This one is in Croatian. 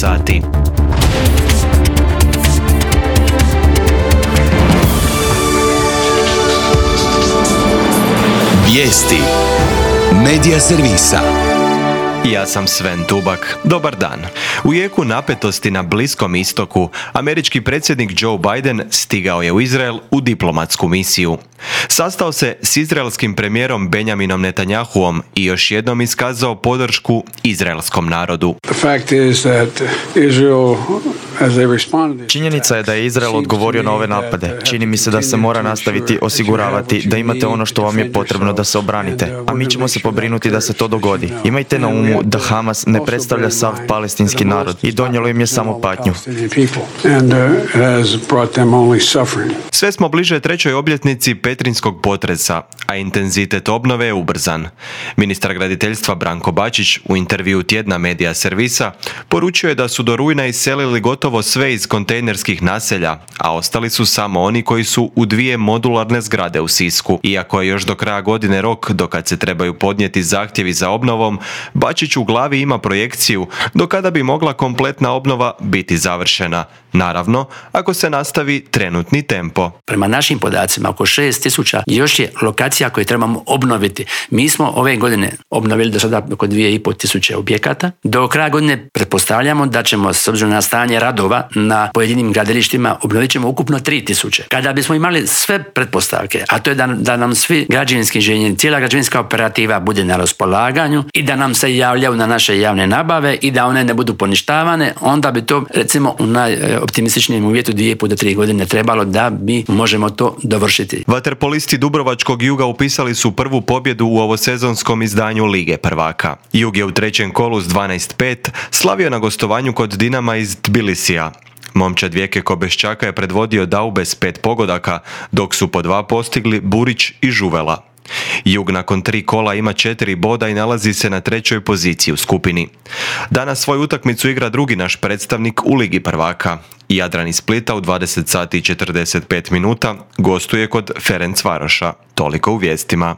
sati. Vijesti Medija servisa. Ja sam Sven Tubak. Dobar dan. U jeku napetosti na Bliskom istoku, američki predsjednik Joe Biden stigao je u Izrael u diplomatsku misiju. Sastao se s izraelskim premijerom Benjaminom Netanjahuom i još jednom iskazao podršku izraelskom narodu. Činjenica je da je Izrael odgovorio na ove napade. Čini mi se da se mora nastaviti osiguravati da imate ono što vam je potrebno da se obranite, a mi ćemo se pobrinuti da se to dogodi. Imajte na umu da Hamas ne predstavlja sav palestinski narod i donijelo im je samo patnju. Sve smo bliže trećoj obljetnici petrinjskog potresa, a intenzitet obnove je ubrzan. Ministar graditeljstva Branko Bačić u intervjuu tjedna Medija servisa poručio je da su do rujna iselili gotovo sve iz kontejnerskih naselja, a ostali su samo oni koji su u 2 modularne zgrade u Sisku. Iako je još do kraja godine rok do kad se trebaju podnijeti zahtjevi za obnovom, Bačić u glavi ima projekciju do kada bi mogla kompletna obnova biti završena. Naravno, ako se nastavi trenutni tempo. Prema našim podacima, oko 6.000 još je lokacija koje trebamo obnoviti. Mi smo ove godine obnovili do sada oko 2.500 objekata. Do kraja godine pretpostavljamo da ćemo, s obzirom na stanje radova na pojedinim gradilištima, obnovit ćemo ukupno 3.000. Kada bismo imali sve pretpostavke, a to je da nam svi građevinski inženjeri, cijela građevinska operativa bude na raspolaganju i da nam se javljaju na naše javne nabave i da one ne budu poništavane, onda bi to, recimo, u najoptimističnijem uvjetu 2,5 do 3 godine trebalo da bi možemo to dovršiti. Vaterpolisti Dubrovačkog Juga upisali su prvu pobjedu u ovosezonskom izdanju Lige prvaka. Jug je u trećem kolu s 12-5 slavio na gostovanju kod Dinama iz Tbilisija. Momčad Vijeke Kobeščaka je predvodio Daube s 5 pogodaka, dok su po 2 postigli Burić i Žuvela. Jug nakon 3 kola ima 4 boda i nalazi se na 3. poziciji u skupini. Danas svoju utakmicu igra drugi naš predstavnik u Ligi prvaka. Jadran iz Splita u 20 sati i 45 minuta gostuje kod Ferencvaroša. Toliko u vijestima.